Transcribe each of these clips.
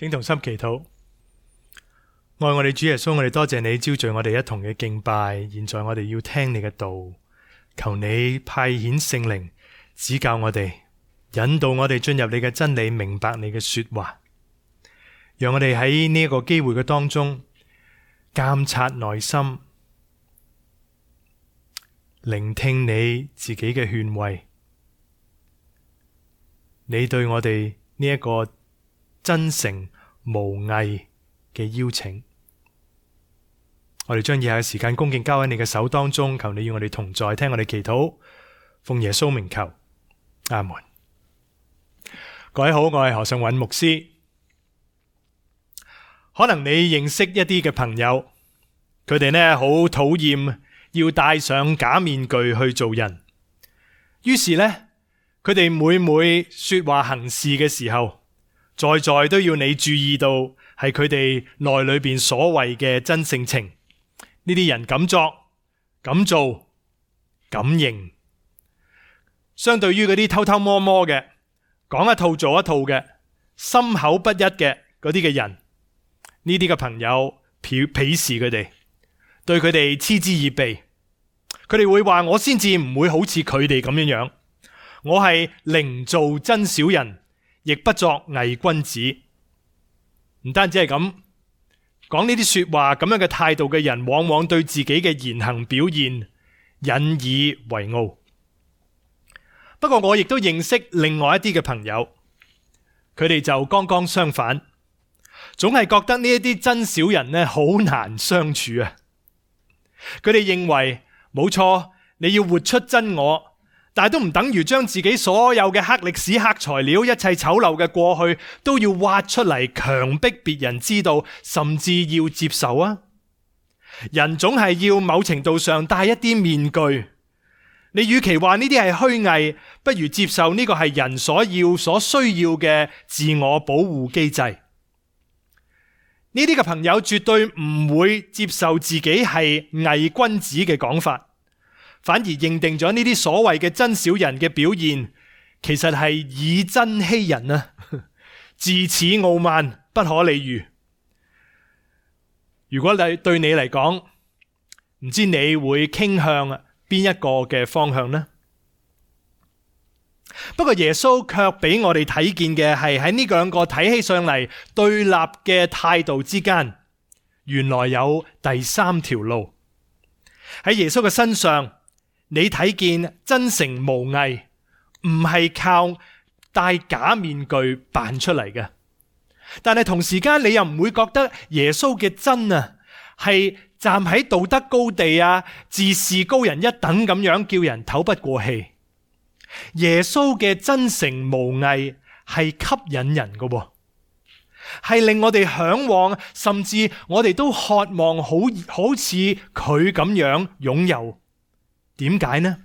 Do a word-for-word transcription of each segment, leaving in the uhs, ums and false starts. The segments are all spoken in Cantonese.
請同心祈禱。愛我哋主耶穌，我哋多謝你招聚我哋一同嘅敬拜。現在我哋要聽你嘅道，求你派遣聖靈指教我哋，引導我哋進入你嘅真理，明白你嘅說話。讓我哋喺呢一個機會嘅當中監察內心，聆聽你自己嘅勸慰。你對我哋呢一個真誠無偽嘅邀請，我哋將以下嘅時間恭敬交喺你嘅手當中，求你與我哋同在，聽我哋祈禱，奉耶穌名求，阿門。各位好，我係何尚韻牧師。可能你認識一啲嘅朋友，佢哋呢好討厭要戴上假面具去做人，於是呢，佢哋每每說話行事嘅時候，在在都要你注意到係佢哋內裏邊所謂嘅真性情。呢啲人敢作敢做敢認，相對於嗰啲偷偷摸摸嘅，講一套做一套嘅，心口不一嘅嗰啲嘅人，呢啲嘅朋友鄙鄙視佢哋，對佢哋嗤之以鼻。佢哋會話，我先至唔會好似佢哋咁樣樣，我係寧做真小人，亦不作偽君子。唔單止係咁，講呢啲說話咁樣嘅態度嘅人，往往對自己嘅言行表現引以為傲。不過我亦都認識另外一啲嘅朋友，佢哋就剛剛相反，總係覺得呢一啲真小人呢好難相處啊。佢哋認為冇錯，你要活出真我，但係都唔等於將自己所有嘅黑歷史、黑材料、一切醜陋嘅過去都要挖出嚟，強迫別人知道，甚至要接受啊！人總係要某程度上戴一啲面具。你與其話呢啲係虛偽，不如接受呢個係人所要、所需要嘅自我保護機制。呢啲嘅朋友絕對唔會接受自己係偽君子嘅講法，反而認定咗呢啲所謂嘅真小人嘅表現，其實係以真欺人啊！自恃傲慢，不可理喻。如果你對你嚟講，唔知你會傾向邊一個嘅方向呢？不過耶穌卻俾我哋睇見嘅係喺呢兩個睇起上嚟對立嘅態度之間，原來有第三條路。喺耶穌嘅身上，你睇見真誠無偽，唔係靠戴假面具扮出嚟嘅。但係同時間，你又唔會覺得耶穌嘅真啊，係站喺道德高地啊，自視高人一等咁樣，叫人透不過氣。耶穌嘅真誠無偽係吸引人嘅，係令我哋向往，甚至我哋都渴望好好似佢咁樣擁有。點解呢？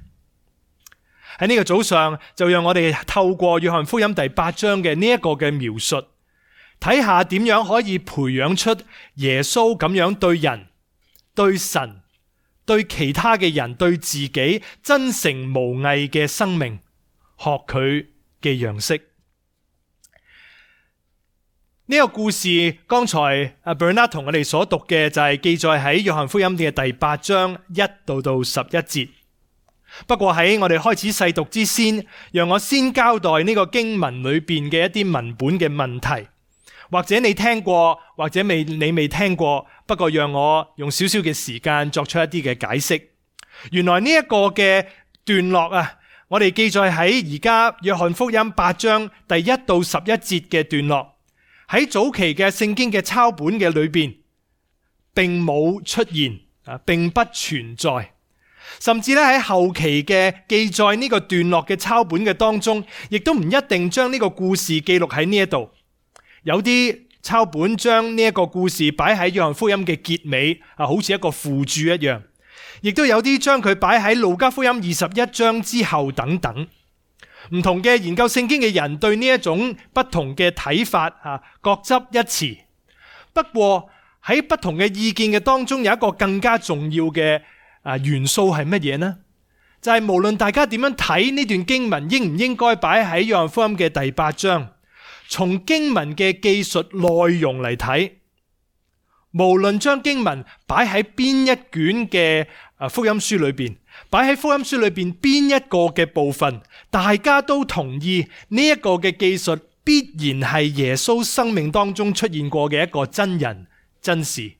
喺呢個早上，就讓我哋透過約翰福音第八章嘅呢一個嘅描述，睇下點樣可以培養出耶穌咁樣對人、對神、對其他嘅人、對自己真誠無偽嘅生命，學佢嘅樣式。呢個故事剛才阿 Bernard 同我哋所讀嘅就係記載喺約翰福音嘅第八章一到到十一節。不過喺我哋開始細讀之先，讓我先交代呢個經文裏邊嘅一啲文本嘅問題，或者你聽過，或者未你未聽過，不過讓我用少少嘅時間作出一啲嘅解釋。原來呢一個嘅段落啊，我哋記載喺而家約翰福音八章第一到十一節嘅段落，喺早期嘅聖經嘅抄本嘅裏邊，並冇出現啊，並不存在。甚至咧喺後期嘅記載呢個段落嘅抄本嘅當中，亦都唔一定將呢個故事記錄喺呢一度。有啲抄本將呢一個故事擺喺約翰福音嘅結尾啊，好似一個附注一樣。亦都有啲將佢擺喺路加福音二十一章之後等等。唔同嘅研究聖經嘅人對呢一種不同嘅睇法啊，各執一詞。不過喺不同嘅意見嘅當中，有一個更加重要嘅啊元素係乜嘢呢？就係無論大家點樣睇呢段經文，應唔應該擺喺約翰福音嘅第八章，從經文嘅記述內容嚟睇，無論將經文擺喺邊一卷嘅福音書裏邊，擺喺福音書裏邊邊一個嘅部分，大家都同意呢一個嘅記述必然係耶穌生命當中出現過嘅一個真人真事。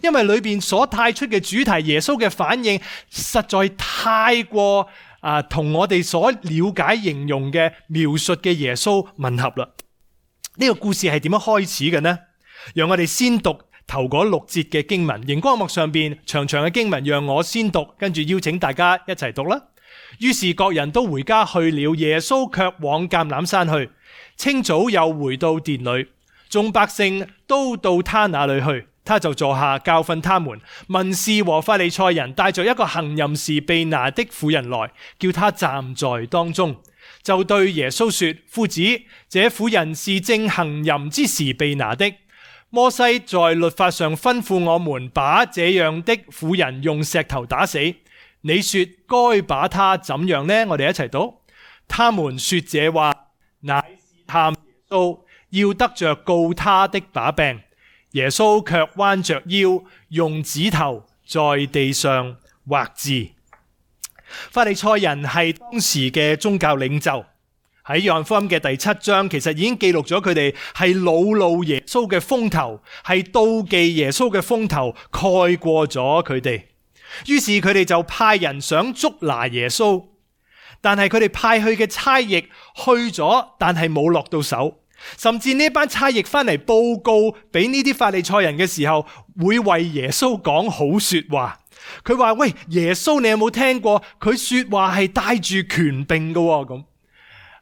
因為裏邊所帶出嘅主題，耶穌嘅反應實在太過啊，同我哋所了解形容嘅描述嘅耶穌吻合啦。呢個故事係點樣開始嘅呢？讓我哋先讀頭嗰六節嘅經文，熒光幕上邊長長嘅經文，讓我先讀，跟住邀請大家一齊讀啦。於是各人都回家去了，耶穌卻往橄欖山去。清早又回到殿裏，眾百姓都到他那裏去。他就坐下教訓他們。文士和法利賽人帶着一個行淫時被拿的婦人來，叫他站在當中，就對耶穌說：夫子，這婦人是正行淫之時被拿的。摩西在律法上吩咐我們把這樣的婦人用石頭打死。你說該把她怎樣呢？我哋一齊讀。他們說這話，乃試探耶穌，要得着告他的把柄。耶穌卻彎着腰，用指頭在地上畫字。法利賽人係當時嘅宗教領袖，喺約翰福音嘅第七章，其實已經記錄咗佢哋係惱怒耶穌嘅風頭，係妒忌耶穌嘅風頭蓋過咗佢哋。於是佢哋就派人想捉拿耶穌，但係佢哋派去嘅差役去咗，但係冇落到手。甚至呢班差役翻嚟報告俾呢啲法利賽人嘅時候，會為耶穌講好說話。佢話：喂，耶穌你有冇聽過？佢說話係帶住權柄嘅咁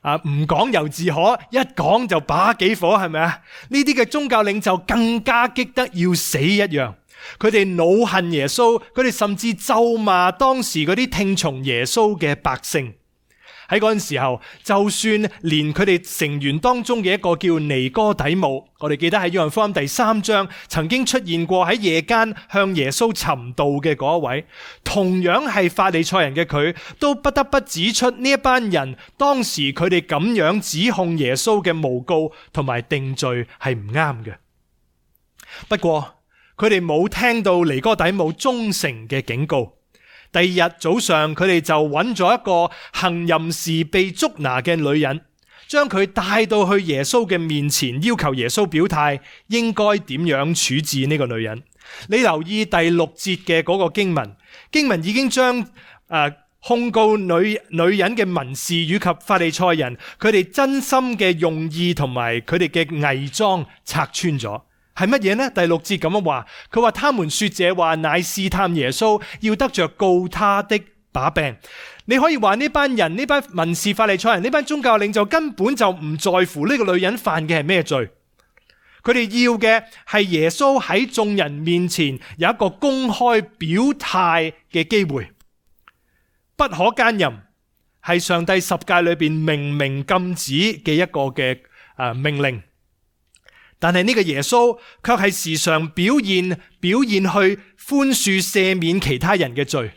啊，唔講猶自可，一講就把幾火，係咪啊？呢啲嘅宗教領袖更加激得要死一樣，佢哋惱恨耶穌，佢哋甚至咒罵當時嗰啲聽從耶穌嘅百姓。喺嗰陣時候，就算連佢哋成員當中嘅一個叫尼哥底母，我哋記得喺約翰福音第三章曾經出現過喺夜間向耶穌尋道嘅嗰一位，同樣係法利賽人嘅佢，都不得不指出呢一班人當時佢哋咁樣指控耶穌嘅誣告同埋定罪係唔啱嘅。不過佢哋冇聽到尼哥底母忠誠嘅警告。第二日早上，佢哋就揾咗一個行淫時被捉拿嘅女人，將佢帶到去耶穌嘅面前，要求耶穌表態應該點樣處置呢個女人。你留意第六節嘅嗰個經文，經文已經將誒、呃、控告女女人嘅文士以及法利賽人，佢哋真心嘅用意同埋佢哋嘅偽裝拆穿咗。係乜嘢呢？第六節咁樣話，佢話他們說這話乃試探耶穌，要得着告他的把柄。你可以話呢班人，呢班文士法利賽人，呢班宗教領袖根本就唔在乎呢個女人犯嘅係咩罪，佢哋要嘅係耶穌喺眾人面前有一個公開表態嘅機會。不可奸淫係上帝十誡裏邊明明禁止嘅一個嘅誒命令。但係呢個耶穌卻係時常表現表現去寬恕赦免其他人嘅罪。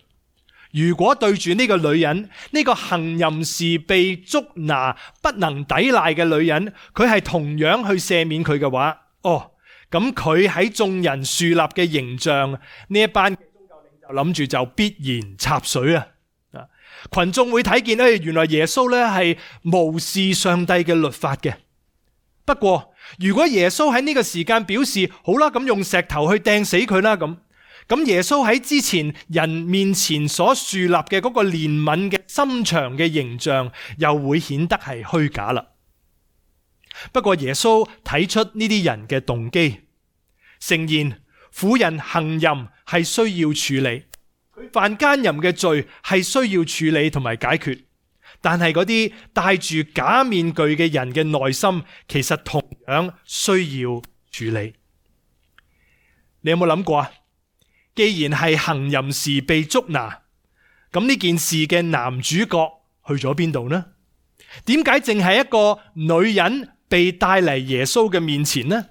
如果對住呢個女人，呢、這個行淫時被捉拿不能抵賴嘅女人，佢係同樣去赦免佢嘅話，哦，咁佢喺眾人樹立嘅形象，呢一班宗教領袖諗住就必然插水啊！群眾會睇見咧，原來耶穌咧係無視上帝嘅律法嘅。不過如果耶穌喺呢個時間表示好啦，咁用石頭去掟死佢啦，咁咁耶穌喺之前人面前所樹立嘅嗰個憐憫嘅心腸嘅形象，又會顯得係虛假啦。不過耶穌睇出呢啲人嘅動機，誠然婦人行淫係需要處理，佢犯奸淫嘅罪係需要處理同埋解決。但係嗰啲戴住假面具嘅人嘅內心，其實同樣需要處理。你有冇諗過啊？既然係行淫時被捉拿，咁呢件事嘅男主角去咗邊度呢？點解淨係一個女人被帶嚟耶穌嘅面前呢？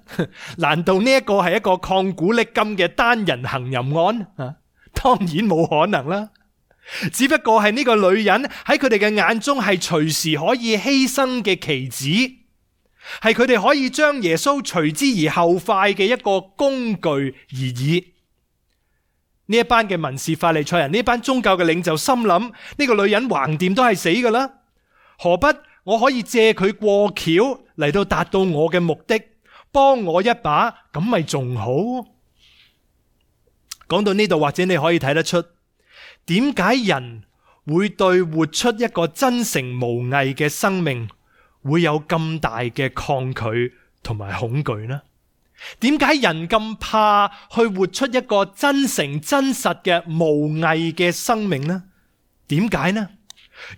難道呢一個係一個曠古牒今嘅單人行淫案啊？當然冇可能啦。只不過係呢個女人喺佢哋嘅眼中係隨時可以犧牲嘅棋子，係佢哋可以將耶穌隨之而後快嘅一個工具而已。呢一班嘅文士法利賽人，呢班宗教嘅領袖心諗，呢個女人橫掂都係死噶啦，何不我可以借佢過橋嚟到達到我嘅目的，幫我一把，咁咪仲好？講到呢度，或者你可以睇得出，點解人會對活出一個真誠無偽嘅生命會有咁大嘅抗拒同埋恐懼呢？點解人咁怕去活出一個真誠真實嘅無偽嘅生命呢？點解呢？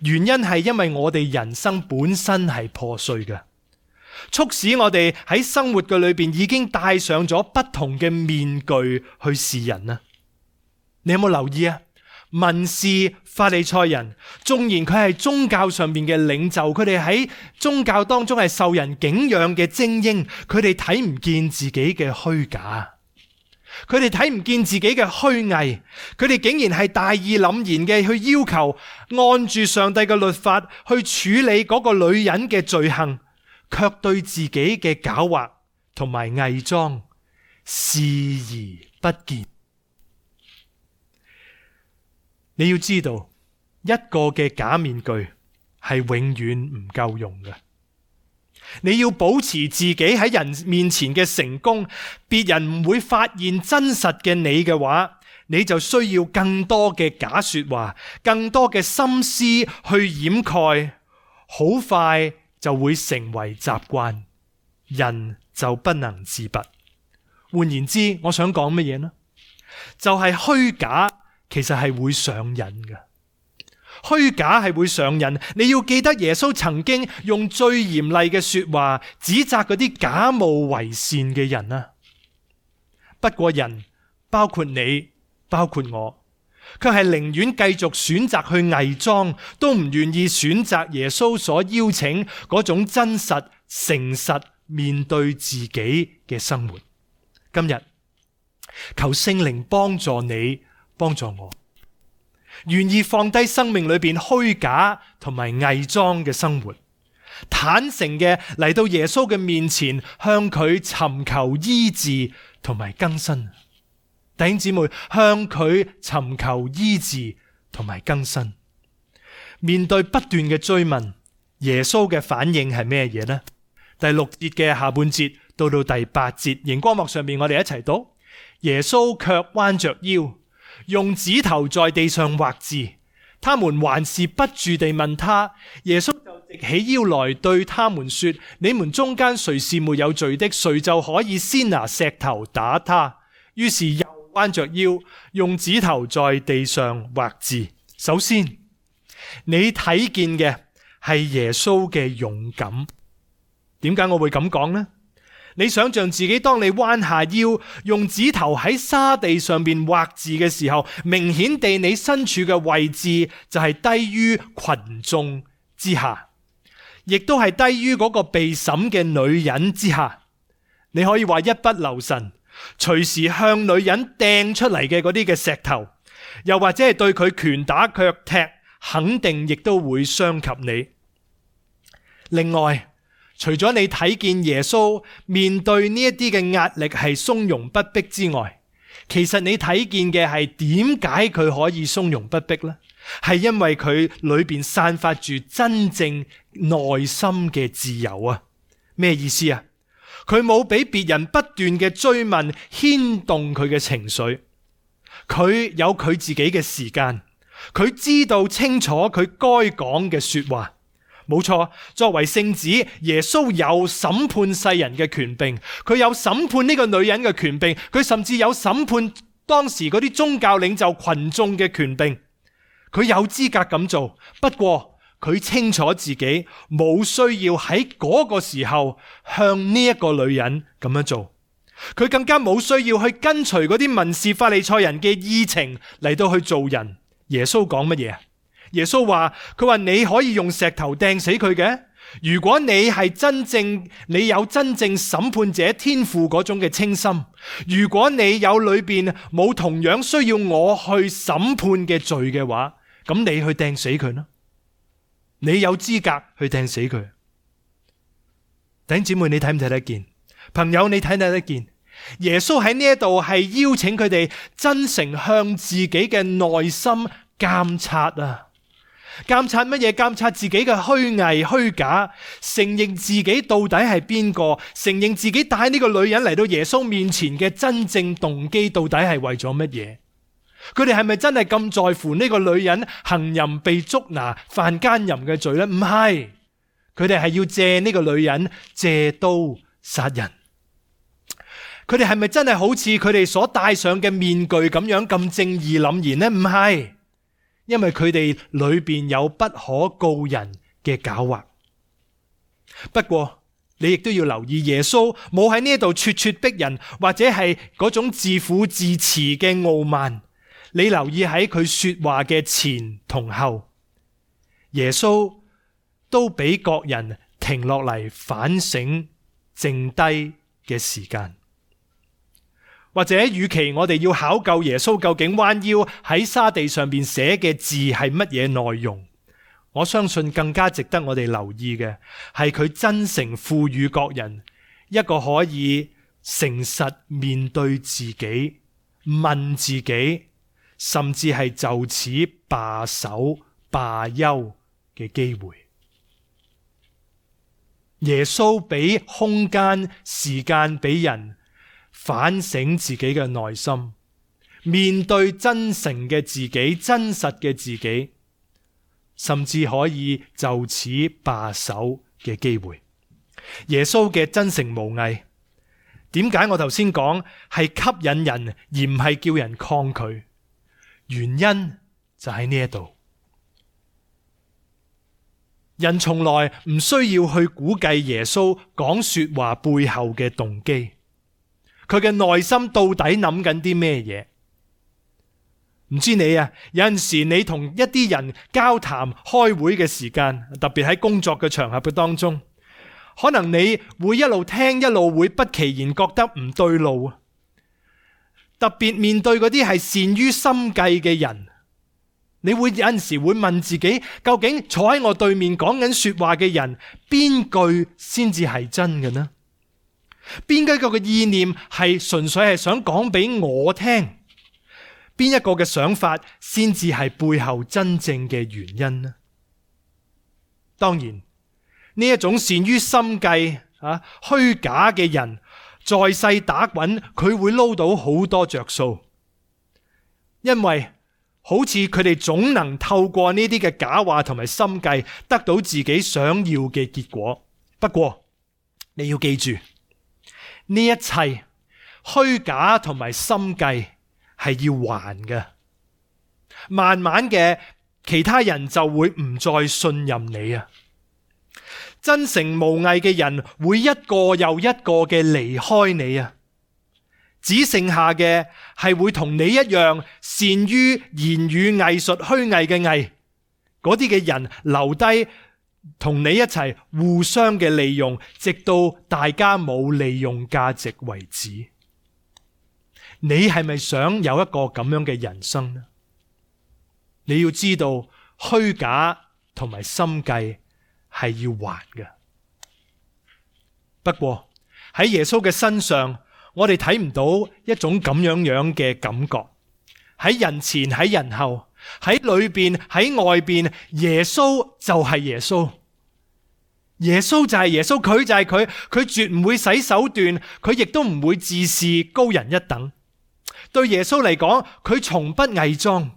原因係因為我哋人生本身係破碎嘅，促使我哋喺生活嘅裏邊已經戴上咗不同嘅面具去示人啊！你有冇留意啊？文士法利賽人，縱然佢係宗教上面嘅領袖，佢哋喺宗教當中係受人敬仰嘅精英，佢哋睇唔見自己嘅虛假，佢哋睇唔見自己嘅虛偽，佢哋竟然係大義凜然嘅去要求按住上帝嘅律法去處理嗰個女人嘅罪行，卻對自己嘅狡猾同埋偽裝視而不見。你要知道，一個嘅假面具係永遠唔夠用嘅。你要保持自己喺人面前嘅成功，別人唔會發現真實嘅你嘅話，你就需要更多嘅假說話，更多嘅心思去掩蓋，好快就會成為習慣，人就不能自拔。換言之，我想講乜嘢呢？就係虛假其實係會上癮嘅，虛假係會上癮。你要記得耶穌曾經用最嚴厲嘅說話指責嗰啲假冒為善嘅人啊。不過人，包括你，包括我，卻係寧願繼續選擇去偽裝，都唔願意選擇耶穌所邀請嗰種真實、誠實面對自己嘅生活。今日求聖靈幫助你，幫助我，願意放低生命裏邊虛假同埋偽裝嘅生活，坦誠嘅嚟到耶穌嘅面前，向佢尋求醫治同埋更新。弟兄姊妹，向佢尋求醫治同埋更新。面對不斷嘅追問，耶穌嘅反應係咩嘢呢？第六節嘅下半節到到第八節，熒光幕上面我哋一齊讀。耶穌卻彎着腰，用指頭在地上畫字，他們還是不住地問他。耶穌就直起腰來對他們說：你們中間誰是沒有罪的，誰就可以先拿石頭打他。於是又彎着腰，用指頭在地上畫字。首先，你睇見嘅係耶穌嘅勇敢。點解我會咁講呢？你想象自己當你彎下腰用指頭喺沙地上邊畫字嘅時候，明顯地你身處嘅位置就係低於群眾之下，亦都係低於嗰個被審嘅女人之下。你可以話一不留神，隨時向女人掟出嚟嘅嗰啲嘅石頭，又或者係對佢拳打腳踢，肯定亦都會傷及你。另外，除咗你睇見耶穌面對呢一啲嘅壓力係從容不迫之外，其實你睇見嘅係點解佢可以從容不迫呢？係因為佢裏邊散發住真正內心嘅自由啊！咩意思啊？佢冇俾別人不斷嘅追問牽動佢嘅情緒，佢有佢自己嘅時間，佢知道清楚佢該講嘅說話。冇錯，作為聖子，耶穌有審判世人嘅權柄，佢有審判呢個女人嘅權柄，佢甚至有審判當時嗰啲宗教領袖群眾嘅權柄，佢有資格咁做。不過佢清楚自己冇需要喺嗰個時候向呢一個女人咁樣做，佢更加冇需要去跟隨嗰啲文士法利賽人嘅意情嚟到去做人。耶穌講乜嘢？耶穌話，佢話你可以用石頭掟死佢嘅。如果你係真正，你有真正審判者天父嗰種嘅清心，如果你有裏邊冇同樣需要我去審判嘅罪嘅話，咁你去掟死佢啦。你有資格去掟死佢。弟兄姊妹，你睇唔睇得見？朋友，你睇唔睇得見？耶穌喺呢一度係邀請佢哋真誠向自己嘅內心監察啊！監察乜嘢？監察自己嘅虛偽虛假，承認自己到底係邊個，承認自己帶呢個女人嚟到耶穌面前嘅真正動機到底係為咗乜嘢？佢哋係咪真係咁在乎呢個女人行淫被捉拿犯奸淫嘅罪呢？唔係，佢哋係要借呢個女人借刀殺人。佢哋係咪真係好似佢哋所戴上嘅面具咁樣咁正義凜然呢？唔係。因為佢哋裏邊有不可告人嘅狡猾。不過你亦都要留意，耶穌冇喺呢度咄咄逼人，或者係嗰種自負自持嘅傲慢。你留意喺佢說話嘅前同後，耶穌都俾各人停落嚟反省剩低嘅時間。或者與其我哋要考究耶穌究竟彎腰喺沙地上面寫嘅字係乜嘢內容，我相信更加值得我哋留意嘅係佢真誠賦予各人一個可以誠實面對自己、問自己，甚至係就此罷手罷休嘅機會。耶穌俾空間、時間俾人反省自己嘅內心，面對真誠嘅自己、真實嘅自己，甚至可以就此罷手嘅機會。耶穌嘅真誠無偽，點解我頭先講係吸引人而唔係叫人抗拒？原因就喺呢一度。人從來唔需要去估計耶穌講說話背後嘅動機。佢嘅內心到底諗緊啲咩嘢？唔知你啊，有陣時你同一啲人交談開會嘅時間，特別喺工作嘅場合嘅當中，可能你會一路聽一路會不其然覺得唔對路。特別面對嗰啲係善於心計嘅人，你會有陣時會問自己，究竟坐喺我對面講緊說話嘅人，邊句先至係真嘅呢？邊一個嘅意念係純粹係想講俾我聽？邊一個嘅想法先至係背後真正嘅原因呢？當然，呢一種善於心計啊虛假嘅人，在世打滾，佢會撈到好多着數，因為好似佢哋總能透過呢啲嘅假話同埋心計，得到自己想要嘅結果。不過你要記住，呢一切虛假同埋心計係要還嘅，慢慢嘅其他人就會唔再信任你啊！真誠無偽嘅人會一個又一個嘅離開你啊，只剩下嘅係會同你一樣善於言語藝術虛偽嘅偽，嗰啲嘅人留低同你一齊互相嘅利用，直到大家冇利用價值為止。你係咪想有一個咁樣嘅人生呢？你要知道，虛假同埋心計係要還嘅。不過喺耶穌嘅身上，我哋睇唔到一種咁樣樣嘅感覺。喺人前，喺人後，喺裏邊，喺外邊，耶穌就係耶穌。耶穌就係耶穌，佢就係佢，佢絕唔會使手段，佢亦都唔會自視高人一等。對耶穌嚟講，佢從不偽裝。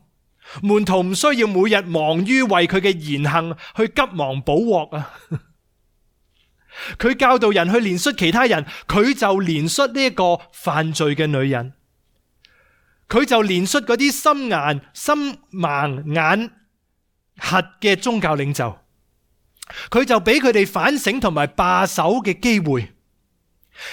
門徒唔需要每日忙於為佢嘅言行去急忙補鑊啊！佢教導人去憐恤其他人，佢就憐恤呢一個犯罪嘅女人，佢就憐恤嗰啲心眼心盲眼瞎嘅宗教領袖，佢就俾佢哋反省同埋罷手嘅機會。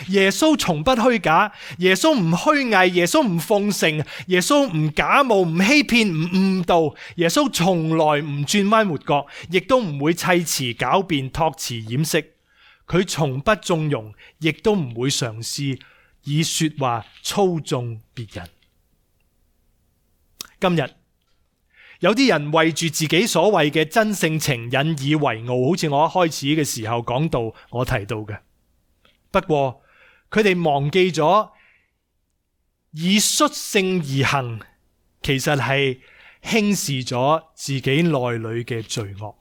耶穌從不虛假，耶穌唔虛偽，耶穌唔奉承，耶穌唔假冒，唔欺騙，唔誤導。耶穌從來唔轉彎抹角，亦都唔會砌詞狡辯、託詞掩飾。佢從不縱容，亦都唔會嘗試以說話操縱別人。今日有啲人為住自己所謂嘅真性情引以為傲，好似我一開始嘅時候講到我提到嘅。不過佢哋忘記咗以率性而行，其實係輕視咗自己內裏嘅罪惡。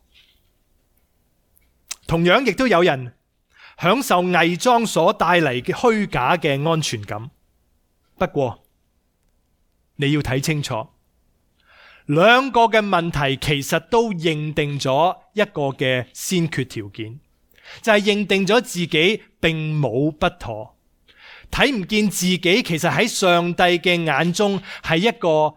同樣亦都有人享受偽裝所帶嚟嘅虛假嘅安全感。不過你要睇清楚，兩個嘅問題其實都認定咗一個嘅先決條件，就係認定咗自己並冇不妥，睇唔見自己其實喺上帝嘅眼中係一個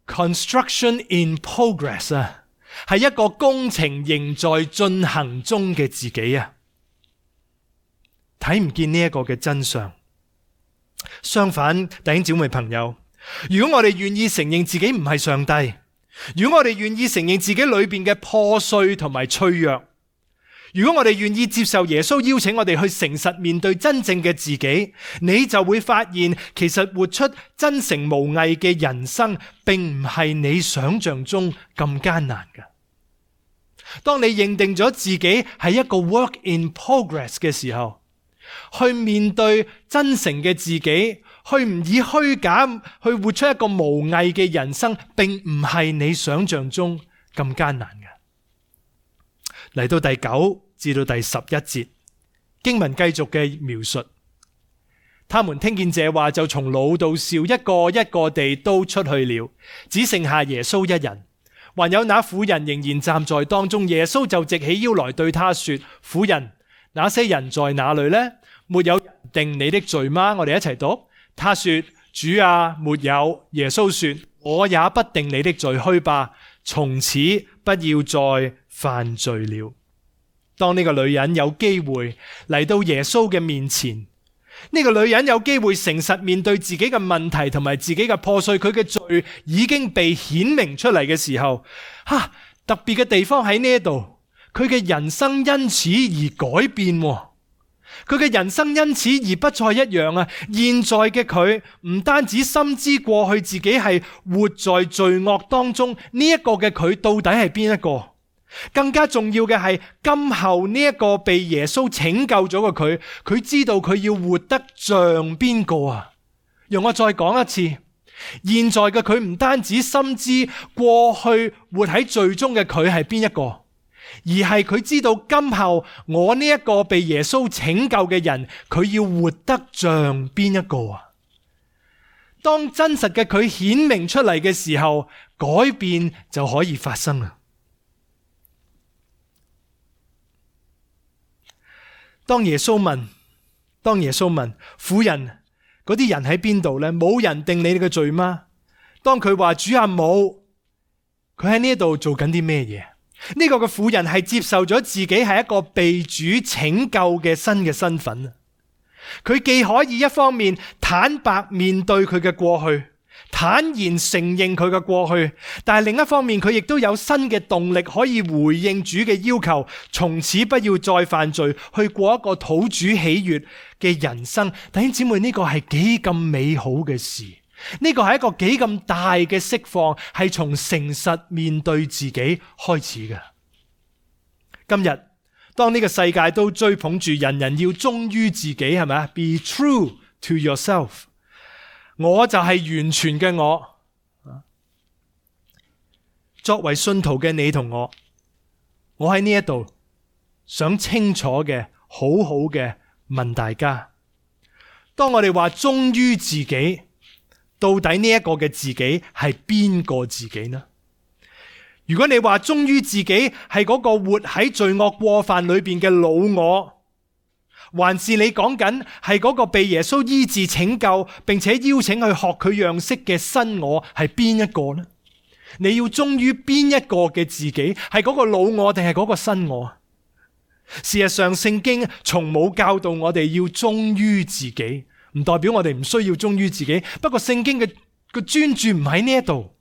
construction in progress 啊，係一個工程仍在進行中嘅自己啊，睇唔見呢一個嘅真相。相反，弟兄姊妹朋友，如果我哋願意承認自己唔係上帝，如果我哋願意承認自己裏邊嘅破碎同埋脆弱，如果我哋願意接受耶穌邀請我哋去誠實面對真正嘅自己，你就會發現其實活出真誠無偽嘅人生並唔係你想象中咁艱難嘅。當你認定咗自己係一個 work in progress 嘅時候，去面對真誠嘅自己，去唔以虛假去活出一個無偽嘅人生，並唔係你想象中咁艱難嘅。嚟到第九至到第十一節，經文繼續嘅描述，他們聽見這話，就從老到少一個一個地都出去了，只剩下耶穌一人。還有那婦人仍然站在當中，耶穌就直起腰來對他說：婦人，那些人在哪裏呢？沒有人定你的罪嗎？我哋一齊讀。他說：主啊，沒有。耶穌說：我也不定你的罪，去吧，從此不要再犯罪了。當呢個女人有機會嚟到耶穌嘅面前，呢個女人有機會誠實面對自己嘅問題同埋自己嘅破碎，佢嘅罪已經被顯明出嚟嘅時候，哈，特別嘅地方喺呢度，佢嘅人生因此而改變，佢嘅人生因此而不再一樣啊！現在嘅佢唔單止深知過去自己係活在罪惡當中，呢一個嘅佢到底係邊一個？更加重要嘅係，今後呢一個被耶穌拯救咗嘅佢，佢知道佢要活得像邊個啊？讓我再講一次，現在嘅佢唔單止深知過去活喺罪中嘅佢係邊一個，而係佢知道今後我呢一個被耶穌拯救嘅人，佢要活得像邊一個啊？當真實嘅佢顯明出嚟嘅時候，改變就可以發生啦。當耶穌問，當耶穌問婦人，嗰啲人喺邊度呢？冇人定你哋嘅罪嗎？當佢話主啊冇，佢喺呢度做緊啲咩嘢？呢個嘅婦人係接受咗自己係一個被主拯救嘅新嘅身份。佢既可以一方面坦白面對佢嘅過去，坦然承認佢嘅過去，但係另一方面佢亦都有新嘅動力可以回應主嘅要求，從此不要再犯罪，去過一個討主喜悅嘅人生。弟兄姊妹，呢個係幾咁美好嘅事，呢個係一個幾咁大嘅釋放，係從誠實面對自己開始嘅。今日當呢個世界都追捧住人人要忠於自己，係咪啊？ Be true to yourself， 我就係完全嘅我。作為信徒嘅你同我，我喺呢一度想清楚嘅好好嘅問大家，當我哋話忠於自己，到底呢一個嘅自己係邊個自己呢？如果你話忠於自己係嗰個活喺罪惡過犯裏邊嘅老我，還是你講緊係嗰個被耶穌醫治拯救並且邀請去學佢樣式嘅新我，係邊一個呢？你要忠於邊一個嘅自己？係嗰個老我定係嗰個新我？事實上，聖經從冇教導我哋要忠於自己，唔代表我哋唔需要忠於自己。不過聖經嘅個專注唔喺呢一度，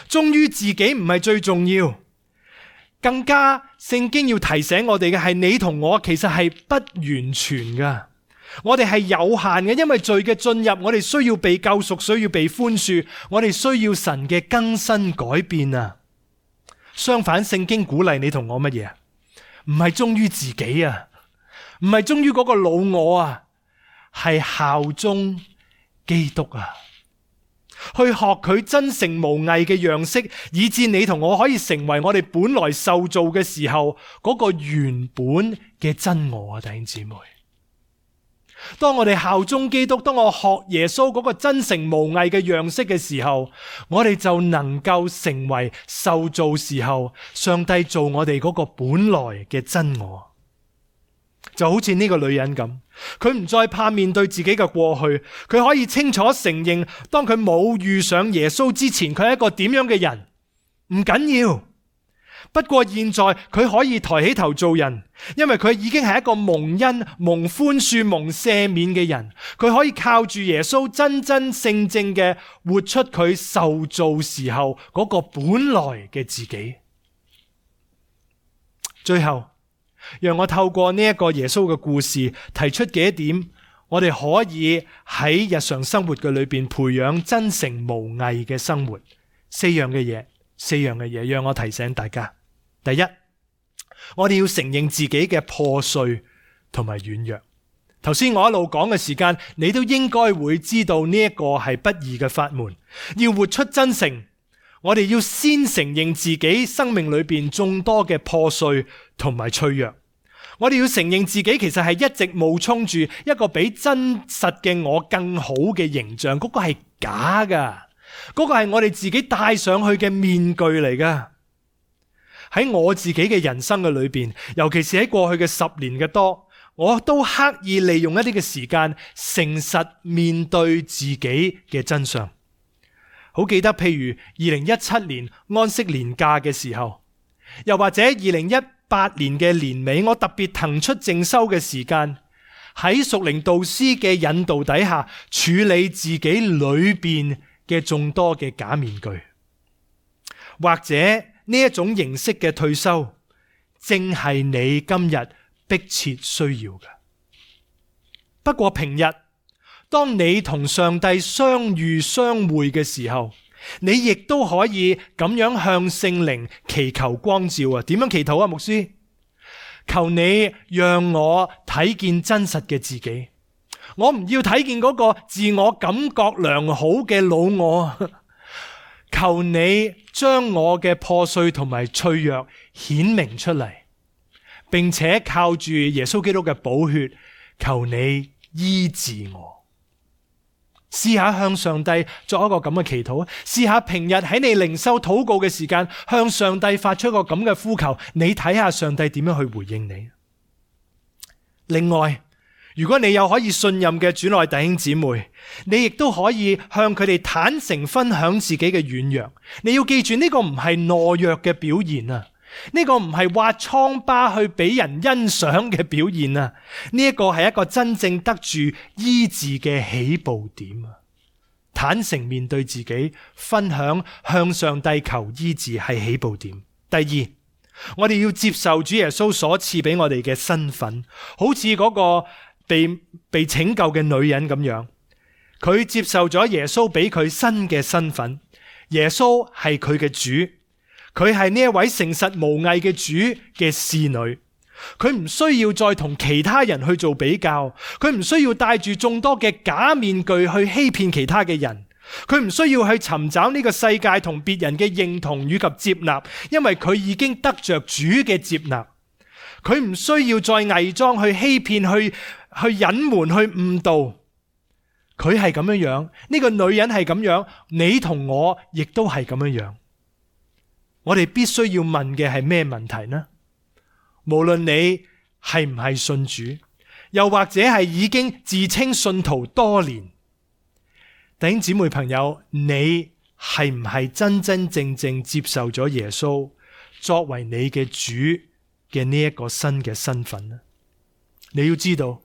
忠於自己唔係最重要。更加聖經要提醒我哋嘅係，你同我其實係不完全噶，我哋係有限嘅，因為罪嘅進入，我哋需要被救贖，需要被寬恕，我哋需要神嘅更新改變啊。相反，聖經鼓勵你同我乜嘢？唔係忠於自己啊，唔係忠於嗰個老我啊，係效忠基督啊，去學佢真誠無偽嘅樣式，以致你同我可以成為我哋本來受造嘅時候嗰個原本嘅真我啊，弟兄姊妹。當我哋效忠基督，當我學耶穌嗰個真誠無偽嘅樣式嘅時候，我哋就能夠成為受造時候上帝做我哋嗰個本來嘅真我。就好似呢個女人咁，佢唔再怕面對自己嘅過去，佢可以清楚承認，當佢冇遇上耶穌之前，佢係一個點樣嘅人，唔緊要。不過現在佢可以抬起頭做人，因為佢已經係一個蒙恩、蒙寬恕、蒙赦免嘅人。佢可以靠住耶穌真真正正嘅活出佢受造時候嗰個本來嘅自己。最後，讓我透過呢一個耶穌嘅故事提出幾點，我哋可以喺日常生活嘅裏邊培養真誠無偽嘅生活。四樣嘅嘢，四樣嘅嘢，讓我提醒大家。第一，我哋要承認自己嘅破碎同埋軟弱。頭先我一路講嘅時間，你都應該會知道呢一個係不易嘅法門。要活出真誠，我哋要先承認自己生命裏邊眾多嘅破碎同埋脆弱。我哋要承認自己其實係一直冒充住一個比真實嘅我更好嘅形象，嗰個係假噶，嗰個係我哋自己戴上去嘅面具嚟噶。喺我自己嘅人生嘅裏邊，尤其是喺過去嘅十年嘅多，我都刻意利用一啲嘅時間，誠實面對自己嘅真相。好記得，譬如二零一七年安息年假嘅時候，又或者二零一八年嘅年尾，我特別騰出靜修嘅時間，喺屬靈導師嘅引導底下，處理自己裏邊嘅眾多嘅假面具，或者呢一種形式嘅退休，正係你今日迫切需要嘅。不過平日，當你同上帝相遇相會嘅時候，你亦都可以咁樣向聖靈祈求光照啊！點樣祈禱啊，牧師？求你讓我睇見真實嘅自己，我唔要睇見嗰個自我感覺良好嘅老我。求你將我嘅破碎同埋脆弱顯明出嚟，並且靠住耶穌基督嘅寶血，求你醫治我。試下向上帝作一個咁嘅祈禱，試下平日喺你靈修禱告嘅時間，向上帝發出一個咁嘅呼求，你睇下上帝點樣去回應你。另外，如果你有可以信任嘅主內弟兄姊妹，你亦都可以向佢哋坦誠分享自己嘅軟弱。你要記住，呢個唔係懦弱嘅表現啊，呢個唔係挖瘡疤去俾人欣賞嘅表現啊，呢一個係一個真正得住醫治嘅起步點啊。坦誠面對自己，分享向上帝求醫治係起步點。第二，我哋要接受主耶穌所賜俾我哋嘅身份，好似嗰個被被拯救嘅女人咁樣，佢接受咗耶穌俾佢新嘅身份。耶穌係佢嘅主，佢係呢一位誠實無偽嘅主嘅侍女，佢唔需要再同其他人去做比較，佢唔需要帶住眾多嘅假面具去欺騙其他嘅人，佢唔需要去尋找呢個世界同別人嘅認同與及接納，因為佢已經得着主嘅接納。佢唔需要再偽裝去欺騙，去去隱瞞，去誤導。佢係咁樣樣，呢個女人係咁樣，你同我亦都係咁樣樣。我哋必須要問嘅係咩問題呢？無論你係唔係信主，又或者係已經自稱信徒多年，弟兄姊妹朋友，你係唔係真真正正接受咗耶穌作為你嘅主嘅呢一個新嘅身份呢？你要知道，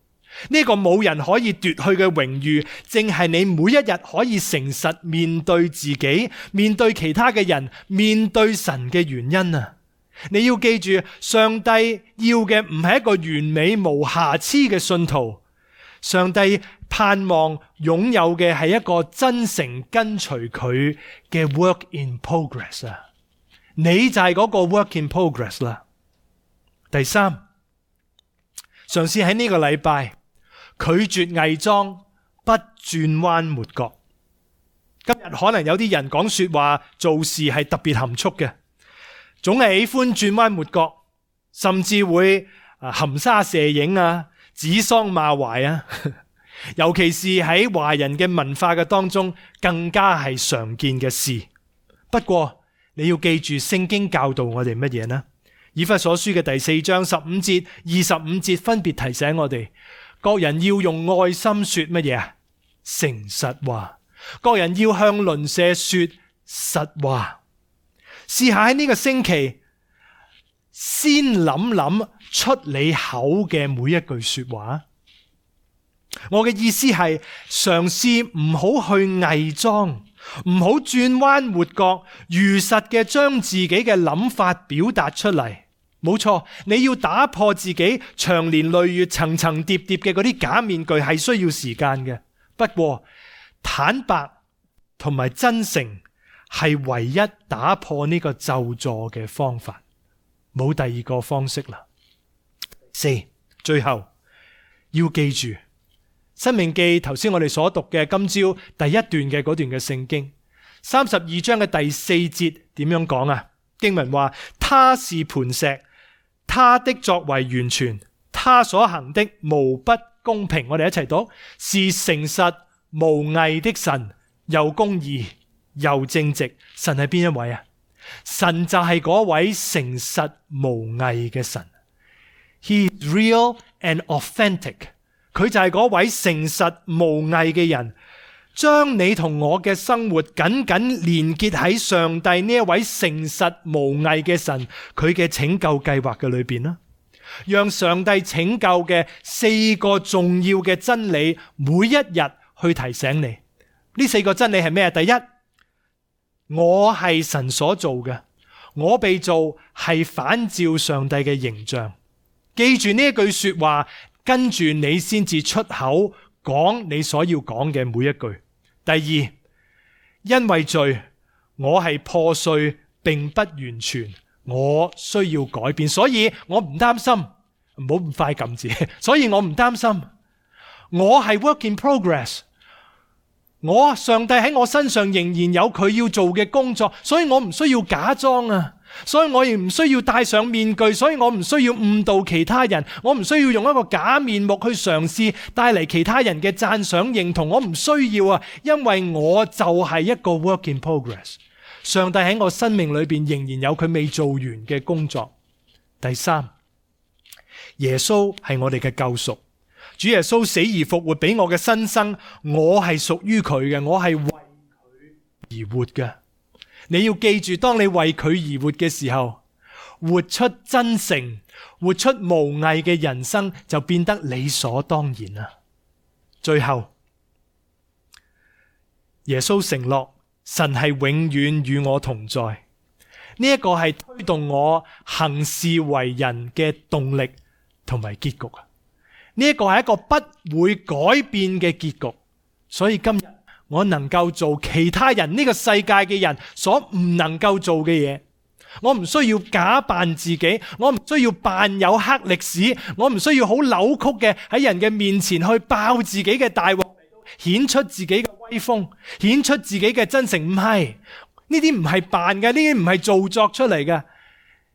呢個冇人可以奪去嘅榮譽，正係你每一日可以誠實面對自己、面對其他嘅人、面對神嘅原因啊！你要記住，上帝要嘅唔係一個完美無瑕疵嘅信徒，上帝盼望擁有嘅係一個真誠跟隨佢嘅 work in progress 啊！你就係嗰個 work in progress 啦。第三，嘗試喺呢個禮拜拒絕偽裝，不轉彎抹角。今日可能有啲人講說話做事係特別含蓄嘅，總係喜歡轉彎抹角，甚至會含沙射影啊，指桑罵槐啊。尤其是喺華人嘅文化嘅當中，更加係常見嘅事。不過你要記住，聖經教導我哋乜嘢呢？以弗所書嘅第四章十五節、二十五節分別提醒我哋，各人要用愛心說乜嘢啊？誠實話。各人要向鄰舍說實話。試下喺呢個星期，先諗諗出你口嘅每一句說話。我嘅意思係嘗試唔好去偽裝，唔好轉彎抹角，如實嘅將自己嘅諗法表達出嚟。冇錯，你要打破自己長年累月層層疊疊嘅嗰啲假面具係需要時間嘅。不過坦白同埋真誠係唯一打破呢個咒詛嘅方法，冇第二個方式啦。四，最後要記住申命記頭先我哋所讀嘅今朝第一段嘅嗰段嘅聖經三十二章嘅第四節點樣講啊？經文話，他是磐石，他的作為完全，他所行的無不公平。我哋一齊讀，是誠實無偽的神，又公義又正直。神係邊一位啊？神就係嗰位誠實無偽嘅神。He is real and authentic。佢就係嗰位誠實無偽嘅人，將你同我嘅生活緊緊連結喺上帝呢一位誠實無偽嘅神佢嘅拯救計劃嘅裏邊啦。讓上帝拯救嘅四個重要嘅真理，每一日去提醒你。呢四個真理係咩？第一，我係神所做嘅，我被造係反照上帝嘅形象。記住呢一句說話，跟住你先至出口講你所要講嘅每一句。第二，因為罪，我係破碎並不完全，我需要改變，所以我唔擔心，唔好咁快撳字，所以我唔擔心，我係 work in progress， 我上帝喺我身上仍然有佢要做嘅工作，所以我唔需要假裝啊。所以我亦唔需要戴上面具，所以我唔需要誤導其他人，我唔需要用一個假面目去嘗試帶嚟其他人嘅讚賞認同，我唔需要啊，因為我就係一個 work in progress。上帝喺我生命裏邊仍然有佢未做完嘅工作。第三，耶穌係我哋嘅救贖，主耶穌死而復活俾我嘅新生，我係屬於佢嘅，我係為佢而活嘅。你要記住，當你為佢而活嘅時候，活出真誠、活出無偽嘅人生就變得理所當然啦。最後，耶穌承諾神係永遠與我同在，呢一個係推動我行事為人嘅動力同埋結局啊！呢一個係一個不會改變嘅結局，所以今日我能夠做其他人呢個世界嘅人所唔能夠做嘅嘢，我唔需要假扮自己，我唔需要扮有黑歷史，我唔需要好扭曲嘅喺人嘅面前去爆自己嘅大鑊，顯出自己嘅威風，顯出自己嘅真誠。唔係，呢啲唔係扮嘅，呢啲唔係做作出嚟嘅，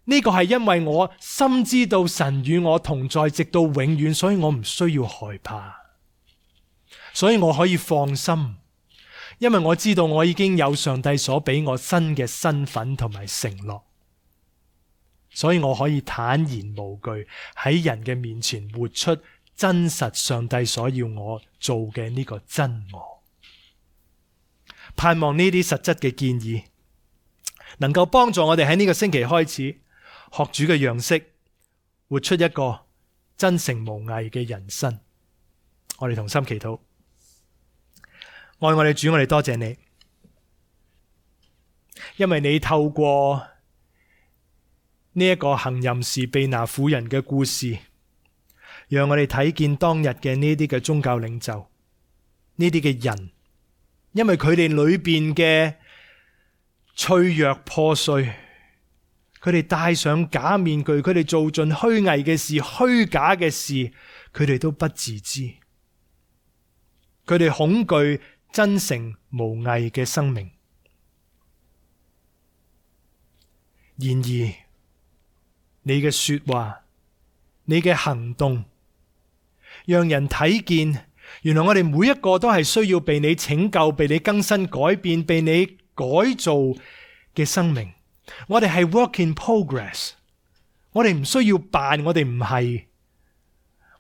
呢個係因為我深知道神與我同在直到永遠，所以我唔需要害怕，所以我可以放心。因為我知道我已經有上帝所俾我新嘅身份同埋承諾，所以我可以坦然無懼喺人嘅面前活出真實上帝所要我做嘅呢個真我。盼望呢啲實質嘅建議能夠幫助我哋喺呢個星期開始學主嘅樣式，活出一個真誠無偽嘅人生。我哋同心祈禱。愛我哋主，我哋多謝你，因為你透過呢一個行淫時被拿婦人嘅故事，讓我哋睇見當日嘅呢啲嘅宗教領袖，呢啲嘅人，因為佢哋裏邊嘅脆弱破碎，佢佢哋戴上假面具，佢哋做盡虛偽嘅事、虛假嘅事，佢哋都不自知。佢哋恐懼真誠無偽嘅生命。然而，你嘅說話，你嘅行動，讓人睇見，原來我哋每一個都係需要被你拯救、被你更新改變、被你改造嘅生命。我哋係 work in progress， 我哋唔需要扮，我哋唔係，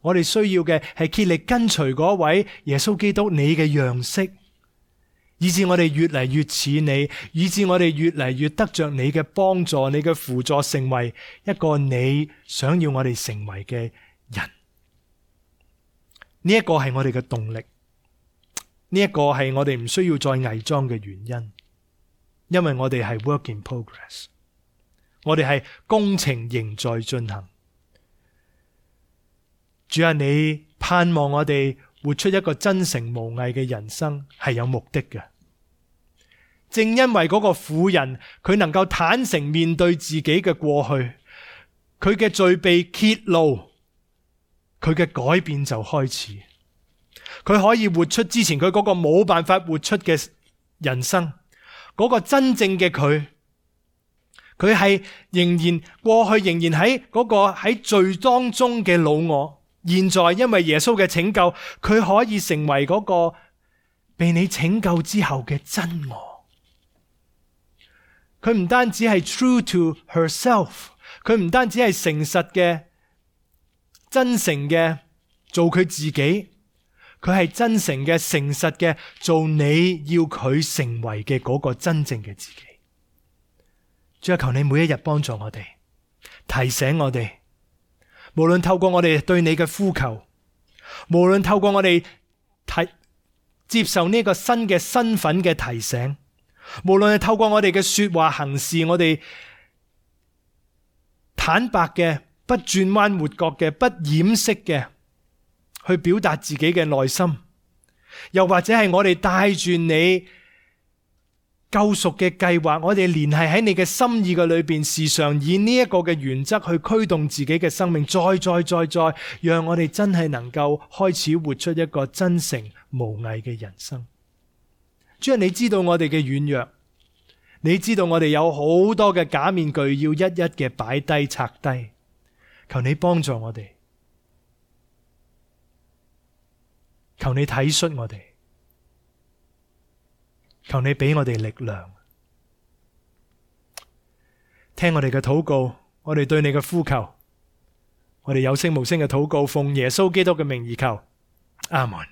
我哋需要嘅係竭力跟隨嗰位耶穌基督你嘅樣式，以致我哋越嚟越似你，以致我哋越嚟越得着你嘅幫助、你嘅輔助，成為一個你想要我哋成為嘅人。呢一個係我哋嘅動力，呢一個係我哋唔需要再偽裝嘅原因，因為我哋係 work in progress， 我哋係工程仍在進行。主啊，你盼望我哋活出一個真誠無偽嘅人生係有目的嘅。正因為嗰個婦人佢能夠坦誠面對自己嘅過去，佢嘅罪被揭露，佢嘅改變就開始。佢可以活出之前佢嗰個冇辦法活出嘅人生，嗰個真正嘅佢，佢係仍然過去仍然喺嗰個喺罪當中嘅老我，現在因為耶穌嘅拯救，佢可以成為嗰個被你拯救之後嘅真我。佢唔單止係 true to herself， 佢唔單止係誠實嘅、真誠嘅做佢自己，佢係真誠嘅、誠實嘅做你要佢成為嘅嗰個真正嘅自己。主啊，求你每一日幫助我哋，提醒我哋，無論透過我哋對你嘅呼求，無論透過我哋提接受呢個新嘅身份嘅提醒，無論係透過我哋嘅說話行事，我哋坦白嘅、不轉彎抹角嘅、不掩飾嘅去表達自己嘅內心，又或者係我哋帶住你救贖嘅計劃，我哋連繫喺你嘅心意嘅裏邊，時常以呢一個嘅原則去驅動自己嘅生命，再再再再，讓我哋真係能夠開始活出一個真誠無偽嘅人生。主啊，你知道我哋嘅軟弱，你知道我哋有好多嘅假面具要一一嘅擺低拆低，求你幫助我哋，求你體恤我哋，求你俾我哋力量，聽我哋嘅禱告，我哋對你嘅呼求，我哋有聲無聲嘅禱告，奉耶穌基督嘅名而求，阿門。